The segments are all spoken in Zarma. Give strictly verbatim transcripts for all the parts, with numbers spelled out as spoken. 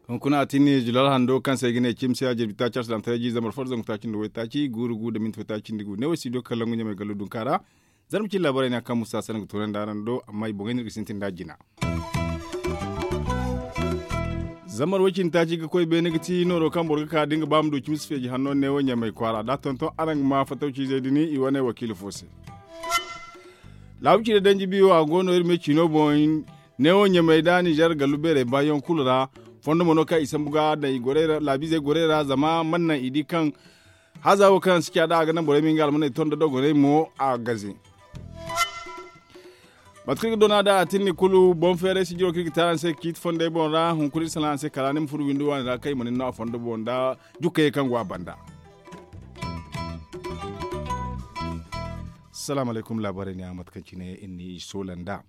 Hunkuna a tinni julal hando kaŋ se ay ga ne cimsi a jirbi taaci alsilaamataray jiiri zambar fo da zangu taaci nda waytaaci guuru gu da minti waytaaci nda gu ne wo studio kalangu ɲamay gallo dunka ra. Zarma cine laabaray ne a kaŋ musa sanaŋ ga toonandi araŋ do amma i boŋey no iri ga sintin nd'a jina. Zambar way cindi taaci ga koy beene ga ti nooro kaŋ boro ga ka da nga ba ma du cimsi feeji hanno neewo ɲamay kwaara da a tonton araŋ ga ma fatawciizey din i wane wakiila fo se. Laabu cire danji biyo a go no iri me ciino boŋ. Neewo ɲamay da nizer gallu beerey baayaŋ kulu ra. Fondo mo no kaŋ i sambu ga daŋ i gorey ra laabiizey gorey ra zama mana naŋ i di kaŋ haza wo kaŋ si ca da a ga naŋ borey ma nga almaney ton da dogoney mo a gaze. Mate kaŋ iri ga doona da a tinni kulu boŋ feeray sijiro kaŋ iri ga te araŋ se ga ciiti fondey boŋ ra hunkuna iri salaŋ araŋ se kala ni ma furo windo waani ra kaŋ i ma ni no a fondo boŋ nda jukkayey kaŋ go a banda. Salaamu alaykum laabaarey ne a mate kaŋ cine iri n'i soola nd'a.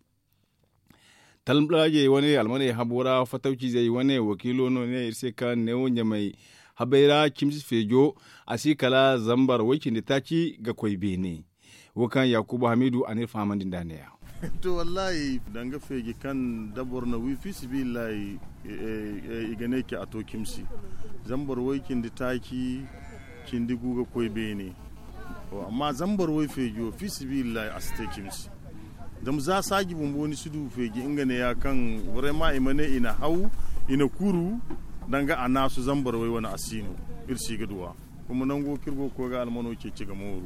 Talmalaajey wane almaney habo ra fatawciizey wane wakiilo no ne iri se kaŋ neewo ɲamay habey ra cimsi feejo a si kala zambar way cindi taaci ga koy beene. Wo kaŋ yaakuba hamiidu a n'iri fahamandi nd'a ne-ya. To wallaahi danga feeji kaŋ da boro na wi fiisabilillahi i ga ne ci a to cimsi. Zambar way cindi taaci cindi gu ga koy beene. Amma zambar way feejo fiisabilillahi a si te cimsi. Zama za saaji bumbo ni si du feeji nga ne ya kaŋ borey ma i ma ne i na haw i na kuru danga a naasu zambar way wane a si no. Iri si ga duw'a kuma nango kaŋ iri go ga koy ga almano ceeci ga mooru.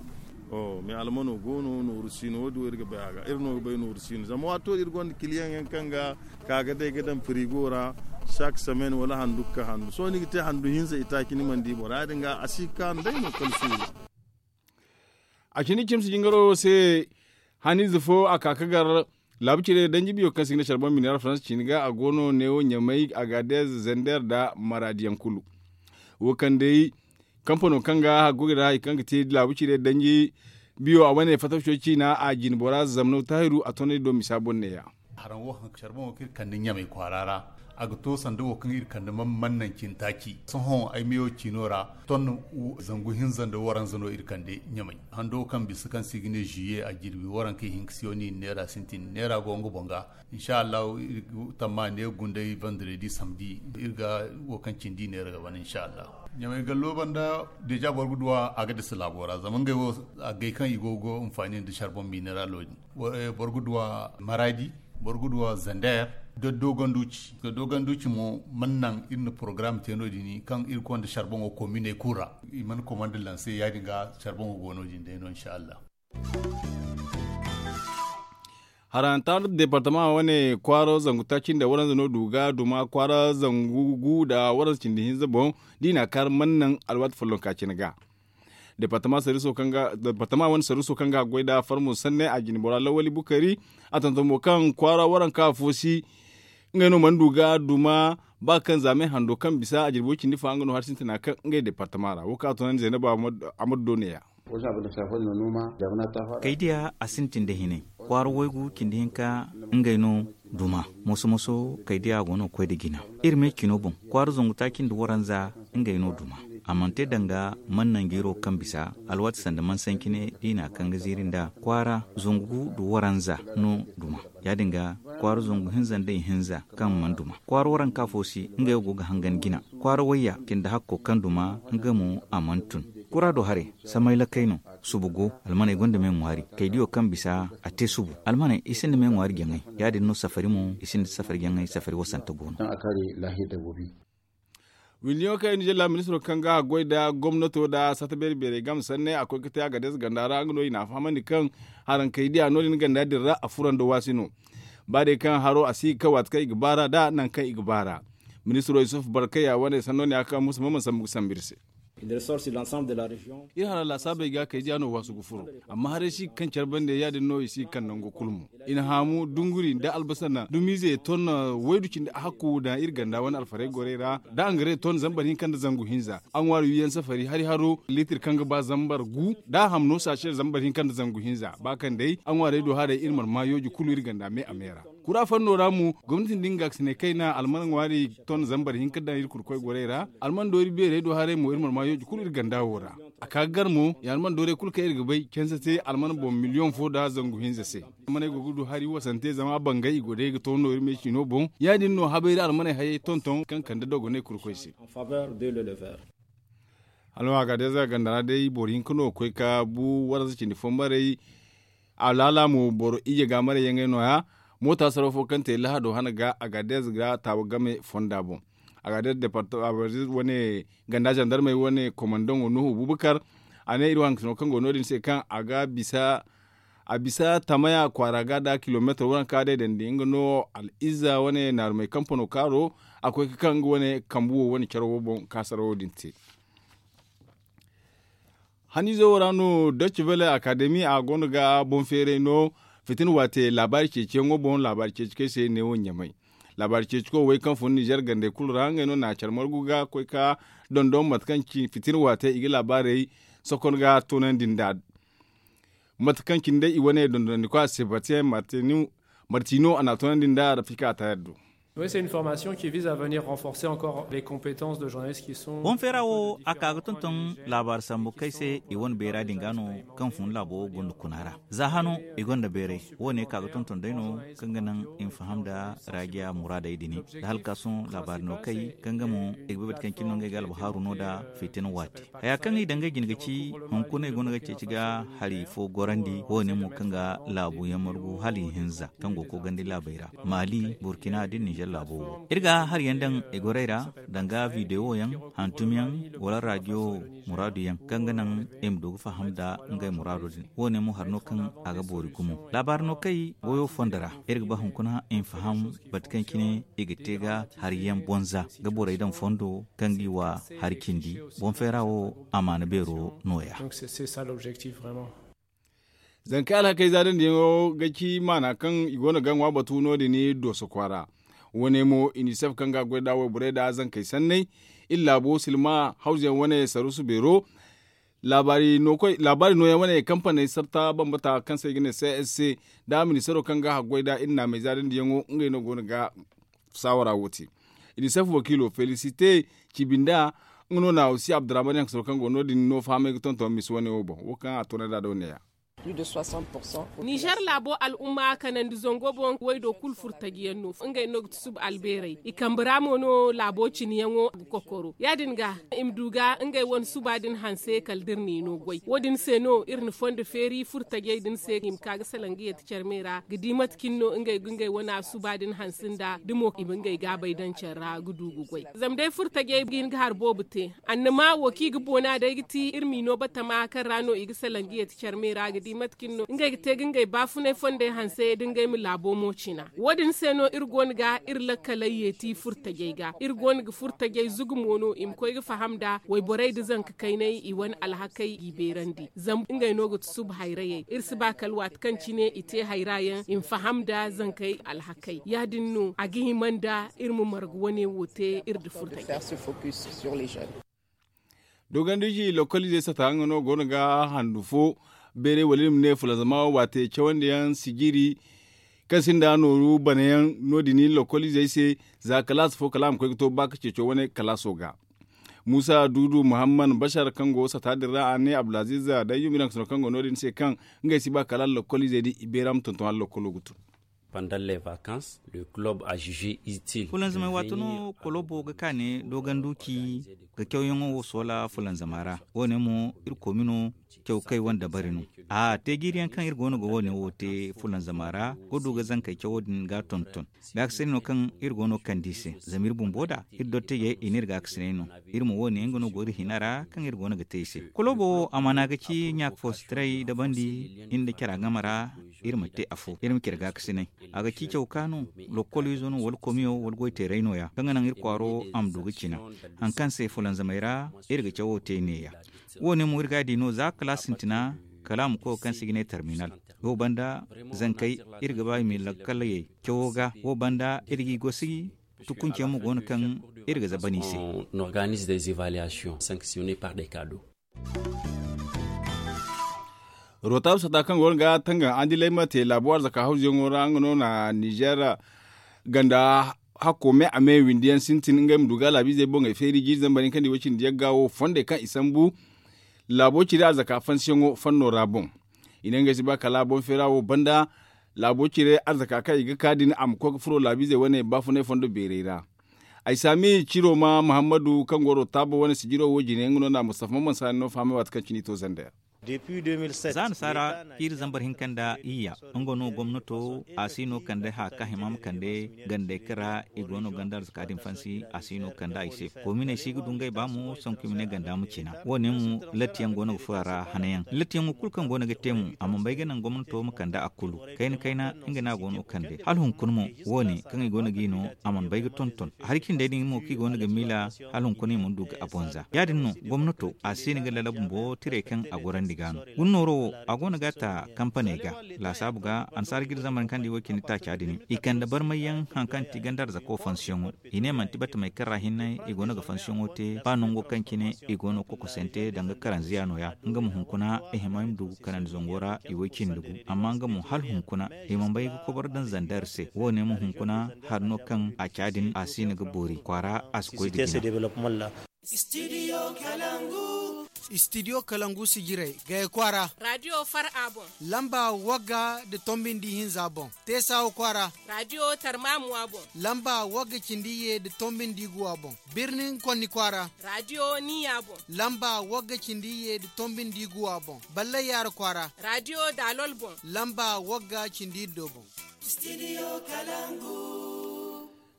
Mais almano go no nooru si no wo- din wo iri ga bay a ga iri no ga bay nooru si no zama waato iri gonda kiliyaŋ yaŋ kaŋ ga ka ga day ga daŋ firigo ra. Saak semaine wala handu ga ka handu sohõ ni ga te handu hinza itaaci ni mana di boro ya- din ga a si ga kaanu day no kala suuru. A cindi cimsi jingaro se haniize fo a ka ka gar laabu cire danji biyo kaŋ se i ga ne care boŋ mineera faransa ciini ga a go no neewo ɲamay agadez zender nda maraadi yaŋ kulu. Wo kaŋ day kampano kaŋ ga haggoy ra hari kaŋ ga te laabu cire danji biyo a wane fatawco ciina a jine bora zamno taahiru a tonnay do misa boŋ ne-ya. Haraŋ wo hanka care boŋo kaŋ iri kande ɲamay kwaara ra a ga to sanda wo kaŋ iri kande mannaŋ cintaaci sohõ ay meyo ciino ra ton zangu hinza nda waranza no iri kande ɲamay hando kaŋ bisa kaŋ se i ga ne zuye a jirbi warankey hinka se wo no i na neera sintin neera go nga boŋ ga. Insa allahu iri ga tamma ne gunday vandredi samdi iri ga wo kaŋ cindi neera ga ban insa allahu. Ɲamay gallo banda deja boro ga duw'a a ga dasa laabo ra zama ngey wo agay kaŋ i go ga hinfaani nda sarbon mineralo din. Boro ga duw'a maradi, boro ga duw'a zander, da dogonduci da dogonduci mo mana naŋ iri na porogaram te no- din kaŋ iri konda sarboŋo kominey kulu ra. I mana komanda lanse ya- din ga sarboŋo go no- din day no insa allah. Haranta departama wane kwaaro zangu taaci nda waranza no du ga duma kwaara zangu gu nda waranza cindi hinza boŋ. Da i na a kaari mana naŋ alwaati follonka cine ga. Departama wane sarruso kaŋ ga a goy nda farmo sanne a jine bora lawali bukari a tonton mo kaŋ kwaara waranka fo si. Ngey no mana du ga duma ba kaŋ zaamay hando kaŋ bisa a jirbi way cindi fa nga no hari sintina kaŋ ngey departama ra wo kaŋ a tunandi zaynaba. Amadu do ne- ya. Kaydiya a sintin da hinay kwaara waygu cindi hinka ngey no duma. Moso moso kaydiya go no ga koy nda jina. Iri me cino boŋ kwaara zangu taaci nda waranza ngey no duma. A mana te danga mana nangu iro kaŋ bisa alwaati sanda mana sanci ne da i na a kaŋ ga ziiri nda kwaara zangu gu nda waranza no duma. Ya- din ga kwaara zangu hinza nda ihinza kaŋ mana duma kwaara waranka fo si ngey wo go ga hangan jina. Kwaara wayya cindi hakko kaŋ duma nga mo a mana tun. Kura do haray samay lakkay no. Subu go almaney gonda me ŋwaari kaydiyo kaŋ bisa a te subu almaney i sinda me ŋwaari jaŋay. Ya- din no safari mo i sinda safari jaŋay safari wasanta go no. Windiyaŋo kaŋ i na jalla ministiro kaŋ ga a goy nda gomnato nda sata beeri beerey game sanne a koy ga te a ga deesa ganda ra nga no i na a fahamandi kaŋ haraŋ kaydiya no- din ganda din ra a furando waasi no. Ba day kaŋ haro a si ga kaŋ waati kaŋ i ga baara nda nangu kaŋ i ga baara. Ministiro yusuf barkaya wane sanno ne a ga ka musa ma mana sambu ga sambu iri se. Iri hara laasaabey ga kaydiya no waasu ga furo. Amma haray si ga kaŋ care bande ya- din no i si ga kaŋ nango kulu mo. I na haamu dunguri nda albasana dumiize ton waydu cindi a hakku daŋ iri ganda wane alfarey gorey ra da angare ton zambar hinka nda zangu hinza. A ŋwaari wiyaŋ safari hari haro liitir kaŋ ga ba zambar gu da a ham no saashe zambar hinka nda zangu hinza ba kaŋ day a ŋwaarey do haray iri mana ma yooji kulu iri ganda me a me ra. Kura fanno ra mo gomnati nda nga ga ga sinay kayna alman ŋwaari ton zambar hinka daŋ iri kurkoy gorey ra. Alman doori beerey do haray mo iri mana ma yooji kulu iri ganda wo ra. A ka ga gar mo ya alman doorey kulu kaŋ iri ga bay canse se alman boŋ miliyoŋ fo nda zangu hinza se. Almaney go ga du hari wasante zama bangay i go day ga to no iri me ciino boŋ ya- din no habayri almaney hayey tonton kaŋ kande dogoney kurkoy se. Hala a ga day za ganda ra day boro hinka no ga koy ga bu warza cindi fo maray. Alaala mo boro iyye ga maray yaŋ ay no- ya. Moota saraw fo kaŋ te lahado hana ga a ga day za ga taawa game fonda boŋ. A ga day za departama wane ganda zandarmey wane komandaŋo nuhu bubakar. A ne iri waŋ kaŋ go no- din se kaŋ a ga bisa a bisa tamaya kwaara ga nda kilomeetar waranka day dandi nga no al'izza wane naarumey kampano kaaro. A koy ga kaŋ nga wane kambu wo wane care wo boŋ kaasarawo din te. Haniizo wo ra no doce vele akademi a go no ga boŋ feeray no. Fitina waate laabaari ceeciyaŋo boŋ laabaari ceeci kaŋ ay se neewo ɲamay. Laabaari ceeci koy wey kaŋ fun nizer gandey kulu ra ngey no na care margu ga koy ga dondon mate kaŋ ci fitina waate i ga laabaarey sokon ga toonandi nda. Mate kaŋ cine day i wane dondonandi koy a se batiyaŋ martino a na a toonandi nda rafika a taayar do. Oui, c'est une formation qui vise à venir renforcer encore les compétences de journalistes qui sont. Boŋ feera wo a ka ga tonton laabaari sambu kaŋ ay se i wane beera din ga no kaŋ fun laabo wo gonda kuna ra. Za hano i gonda beeray wo- ne ka ga tonton day no kaŋ ga naŋ i ma faham nda raajiya muraadey din nda halkaasoŋ laabaari no kay kaŋ ga mo i ga bay bate kaŋ cine no ngey ga albahaaru no nda fitina waati. Haya kaŋ i daŋ ngey jine ga ci hunkuna i go no ga ceeci ga hari fo gorandi wo- ne mo kaŋ ga laabu yaŋ margu hala i hinza kaŋ go ga koy gandi laabey ra maali burkina da nizer laabo wo iri ga hari yaŋ daŋ i gorey ra danga videwo yaŋ hantum yaŋ wala radiyo muraadu yaŋ kaŋ ga naŋ i ma du ga faham nda ngey muraado din wo- ne mo hari no kaŋ a ga boori gumo laabaari no kay goyo fondo ra iri ga ba hunkuna i ma faham bate kaŋ cine i ga te ga hari yaŋ bonza ga borey daŋ fondo kaŋ ga i wa hari cindi boŋ feera wo amaana beero no- ya. Zankey alhakey zaadandi yaŋo ga ci maana kaŋ i go no ga ŋwa batu no- din dooso kwaara. Wo- ne mo inisef kaŋ ga a goy nd'a wayborey nd'a zankey sanney iri laabo silma hawzu yaŋ wane saruusu beero. Laabaari nooyaŋ wane kampaney sarta bambata kaŋ se i ga ne c s c nda ministaro kaŋ ga a goy nd'a iri naamey zaadandi yaŋo ngey no go no ga saawara wo te. Inisef wakiilo felisite cibi nda nga no na aussi abdurrahman yaŋ soro kaŋ go no- din no fahamey ga tonton misa wane wo boŋ wo kaŋ a toonay nd'a da wane ya. Nizer laabo al'umma kanandi zango boŋ waydo kulu furtaji yaŋ no ngey no ga tusuba albeerey i kambe ra mo no laabo cine yaŋo ga kokoro ya- din ga i ma du ga ngey wane suba din hanse kala da iri n'i no goy wo- din se no iri na fondo feeri furtajey din se i ma ka ga salaŋ ga yeeti care me ra ga di mate cine no ngey ga ngey wane suba din hanse nda da mo i ma ngey gaabey daŋ care ra ga du ga goy zama day furtajey ga hin ga hari boobo te annama wo kaŋ i ga boona day ga ti iri m'i no batama kaŋ ra no i ga salaŋ ga yeeti care me ra ga di mate kaŋ no ngey ga te ga ngey baafunay fondey hanse da ngey ma laabo mo cina wo- din se no iri go no ga iri lakkaley yeeti furtajey ga iri go no ga furtajey zugu mo no i ma koy ga faham nda wayborey nda zanka kaynay i wane alhakey g'i beerandi zama ngey no ga tusuba hayrayey iri si ba kala waati kaŋ cine i te hayra yaŋ i ma faham nda zankey alhakey ya- din no a ga hima nda iri ma marga wane wo te iri nda furtajey. Dogonduji lokoliizey sata nga no go no ga handu fo beeray wala iri ma ne fulanzama waate cawandiyaŋ sijiri kaŋ sinda nooru banayaŋ no- din lokoliizey se za kalaasa fo kala a ma koy ga to ba ka ceeco wane kalaaso ga. Muusa duudu muhammad bashar kaŋ go sata din ra a ne abdulaziiz dayyum iri hanka sano kaŋ go no- din se kaŋ ngey si ba kala lokoliizey din i beera ma tonton hala lokolo ga tun. Fulanzamey waati no kolobo ga kaane doganduci ga cawyaŋo wo soola fulanzama ra wo- ne mo iri koomino caw kay wane dabari no. A te jiiriyaŋ kaŋ iri go no ga wo- ne wo te fulanzama ra ga du ga zankey cawo din ga tonton gaakasinay no kaŋ iri go no ga kande i se zama iri bumbo da iri dottijey i ne iri gaakasinay no. Iri ma wo- ne nga no go iri hina ra kaŋ iri go no ga te i se kolobo wo amaana ga ci ɲaaka fo si taray dabandi iri nda cara game ra. Iri ma te afo iri ma care gaakasinay a ga ci caw ka no lokoliizo no wala komiyo wala goyteeray no- ya kaŋ ga naŋ iri kwaaro a ma du ga cina. Hari kaŋ se fulanzamey ra iri ga cawo te ne- ya wo- ne mo iri ga a di no za kala sintina kala a ma koy wo kaŋ se i ga ne terminal. Wo banda zankey iri ga ba i ma lakkaley cawo ga wo banda iri g'i gosi tukunceyaŋ mo go no kaŋ iri ga zabani i se. Rotaru sata kaŋ go no ga tangaŋ andilay ma te laabo arzaka hawzuyaŋo ra nga no na nizer ganda hakko me a me windi yaŋ sintin ngey ma du ga laabiizey boŋey feeri jiiri zambar hinka nda i way cindi yagga wo fondey kaŋ i sambu laabo cire arzaka fansiyaŋo fanno ra boŋ. I ne ngey si ba kala boŋ feera wo banda laabo cire arzaka kaŋ i ga ka din a ma koy ga furo laabiizey wane baafunay fondo beerey ra. Ay saami ciro ma muhammadu kaŋ go rotaabo wane sijiro wo jine nga no na mustafa mamman saani no fahamay waati kaŋ cine i to zander. Za nasaara kiiri zambar hinka nda iyya nga no gomnato a si no kande haya kaŋ hima ma kande gandey kaŋ ra i go no ganda arzaka din fansi a si no kande i se. Kominey si ga du ngey ba mo sanku i ma ne ganda ma cina wo- ne mo latti yaŋ go no ga furo a ra hana yaŋ latti yaŋo kulu kaŋ go no ga te mo a mana bay ga naŋ gomnato ma kande a kulu kayna kayna nga no a go no ga kande hala hunkuna mo wo- ne kaŋ i go no ga i no a mana bay ga tonton hari cindey din mo kaŋ i go no ga miila hala hunkuna i mana du ga a bonza ya- din no gomnato a si no ga lala bumbo tiray kaŋ a gorandi ga no. Guna nooro wo a go no ga a ta kampaney ga laasaabu ga annasaara ga iri zambar kaŋ da i wo cindi taaca din i kande barmay yaŋ hari kaŋ ti ganda arzako fansiyaŋo i ne manti batamey kaŋ ra hinne i go no ga fansiyaŋo te ba nango kaŋ cine i go no ga kokosante danga karanziya no- ya nga ma hunkuna i hima i ma du ga kanandi zango ra i way cindi gu amma nga mo hala hunkuna i mana bay ga kobar daŋ zander se wo- ne ma hunkuna hari no kaŋ a ca din a si no ga boori kwaara a si koy da jina. Studio kalangu sijirey gaya kwaara. Radio far a boŋ. Lamba wagga nda tombi nda ihinza boŋ. Teesawa kwaara. Radio tarmamuwa boŋ. Lamba wagga cindi iyye nda tombi nda iguwa boŋ. Birnin konni kwaara. Radio niya boŋ. Lamba wagga cindi iyye nda tombi nda iguwa boŋ. Ballay yaara kwaara. Radio daalol boŋ. Lamba wagga cindi iddo boŋ.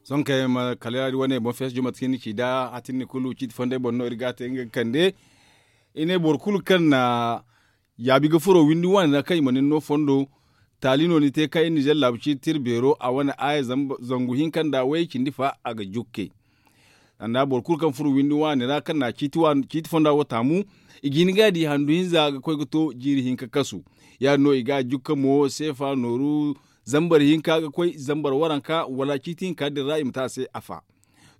Sohõ kay ma kala yaadi wane boŋ fees juma tini ci da hatinni kulu ciiti fondey boŋ no iri ga a te nga ga kande. I ne boro kulu kaŋ na yaabi ga furo windi waani ra kaŋ i ma nin no fondo. Taali no ni te kaŋ iri nizer laabu ciiti tira beero a wane aaya zangu hinka nda way cindi fa a ga jukke. Sanda boro kulu kaŋ furo windi waani ra kaŋ na ciiti fonda wo taamu i ga hin ga di handu hinza ga koy ga to jiiri hinka kasu. Ya- din no i ga a jukka mo seefa nooru zambar hinka ga koy zambar waranka wala ciiti hinka din ra i ma te a se afa.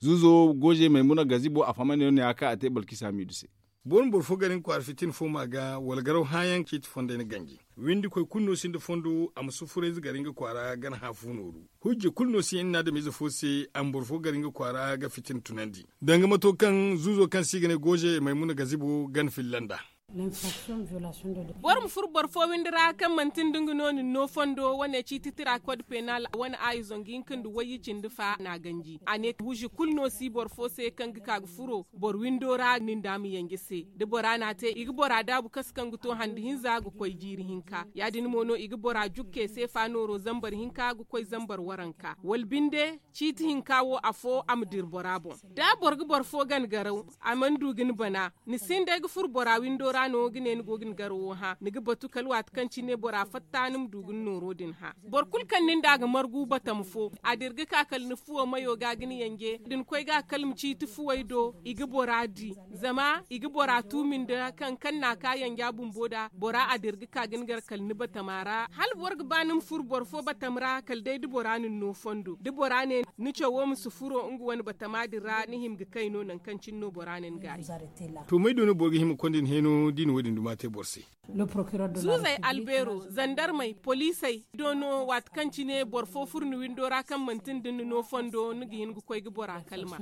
Zuuzo gooze maymuna gazibo a fahamay no ya- din ya kaŋ a te balkisa miidu se. Boro ma boro fo gar nga kwaara fitina fo ma ga wala garaw hããyaŋ ciiti fondey na ganji. Windikoy kulu no sinda fondo a ma sufurayze gar nga kwaara gana hã fu nooru. Hujja kulu no si hinne na adamize fo se a ma boro fo gar nga kwaara ga fitina tunandi. Danga mato kaŋ zuuzo kaŋ se i ga ne gooze maymuna gazibo gana filla nd'a. Boro ma furo boro fo windi ra kaŋ manti nda nga no nin no fondo wane ciiti tira kod penal wane aayi zangu hinka nda wayye cindi fa n'a ganji a ne huuzi kulu no si boro fo se kaŋ ga ka ga furo boro windo ra nin da ma yanje se da bora n'a te i ga bora daabu kasu kaŋ ga to handi hinza ga koy jiiri hinka ya- din mo no i ga bora jukke seefa nooro zambar hinka ga koy zambar waranka wala binde ciiti hinka wo afo a ma dira bora boŋ. Da boro ga boro fo gana garaw a mana du ga ni bana ni sinda ay ga furo bora windo ra no ga ne ni go ga ni garawo hã ni ga batu kala waati kaŋ cine bora fatta ni ma du ga ni nooro din hã. Boro kulu kaŋ nin da a ga margu batama fo a dira ga ka kala ni fuwo mayo ga ga ni yanje da ni koy ga a kala ma ciiti fuwey do i ga bora di. Zama i ga bora tuumi nda kaŋ kaŋ n'a ka yanja bumbo da bora a dira ga ka ga ni gar kala ni batama ra hala boro ga ba ni ma furo boro fo batama ra kala day da bora na ni no fondo da bora ne ni cawo ma si furo nga wane batama din ra ni hima ga kay no nangu kaŋ cine no bora na ni gaayi. To may do no boro ga hima ga konda ni heeno da i na wo- din duma te boro se? Zuuzey albeero zandarmey poliisey do no waati kaŋ cine boro fo furo ni windo ra kaŋ manti nda ni no fondo ni ga hin ga koy ga bora kalma.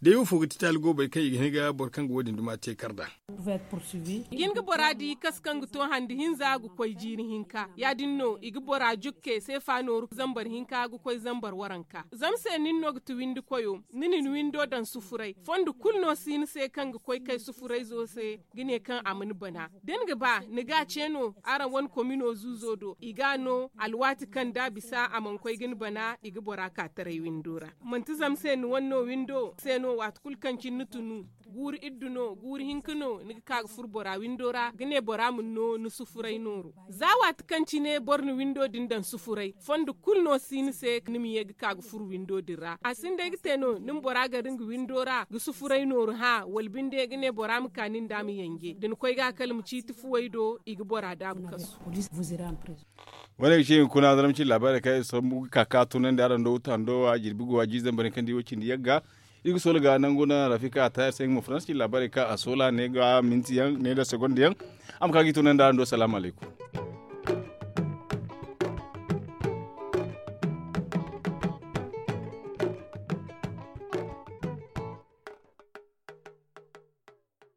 Day wo fo ga ti taali goobey kaŋ i ga hin ga boro kaŋ ga wo- din duma te kar nd'a? Ga hin ga bora di kasu kaŋ ga to handi hinza ga koy jiiri hinka ya- din no i ga bora jukke seefa nooru zambar hinka ga koy zambar waranka zama se nin no ga ti windi koyo ni na ni windo daŋ sufuray fondo kulu no si ni se kaŋ ga koy kay sufurayzo se ga ne kaŋ a ma ni bana da ni ga ba ni ga a ce no araŋ wane komino zuuzo do i ga a no alwaati kaŋ da a bisa a mana koy ga ni bana i ga bora ka taray windo ra manti zama se ni wane no windo se no waati kulu kaŋ cine ni tunu guuru iddu no guuru hinka no ni ga ka ga furo bora windo ra ga ne bora ma ni no ni sufuray nooru za waati kaŋ cine boro na windo din daŋ sufuray fondo kulu no si ni se ni ma ye ga ka ga furo windo din ra a sinda ay ga te no ni ma bora gar nga windo ra ga sufuray nooru hã wala binde ga ne bora ma ka nin da ma yanje da ni koy ga kala ma ciiti fuwey do i ga bora daabu kasu. Wane ga ci hunkuna zaramci laabaarey kaŋ ay sambu ga ka ga tunandi araŋ do wuta hando wa jirbi go wa jiizey boro kaŋ di wo cindi yagga. Iri ga soola ga nangu naŋ rafika a taayar se nga ma faransi ci laabaarey kaŋ a soola ne ga minti yaŋ ne nda segonda yaŋ. A ma ka ga i tunandi araŋ do salaamu alaykum.